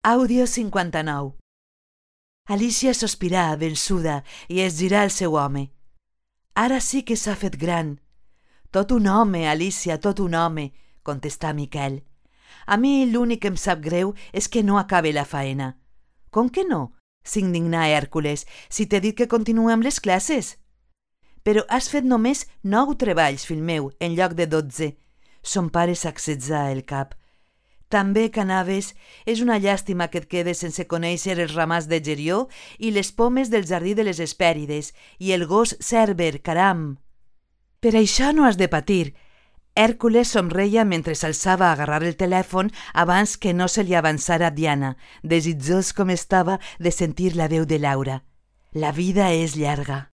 Àudio 59. Alícia sospirà, vençuda, i es girà al seu home. «Ara sí que s'ha fet gran». «Tot un home, Alícia, tot un home», contestà Miquel. «A mi l'únic que em sap greu és que no acabe la faena». «Com que no?», s'indignà Hèrcules, «si t'he dit que continuem les classes». «Però has fet només 9 treballs, fill meu, en lloc de 12. Son pare sacsejà el cap. «També que anaves, és una llàstima que et quedes sense conèixer els ramats de gerió i les pomes del jardí de les Hespèrides i el gos Cèrber, caram!» «Per això no has de patir». Hèrcules somreia mentre s'alçava a agarrar el telèfon abans que no se li avançara Diana, desitjós com estava de sentir la veu de Laura. «La vida és llarga».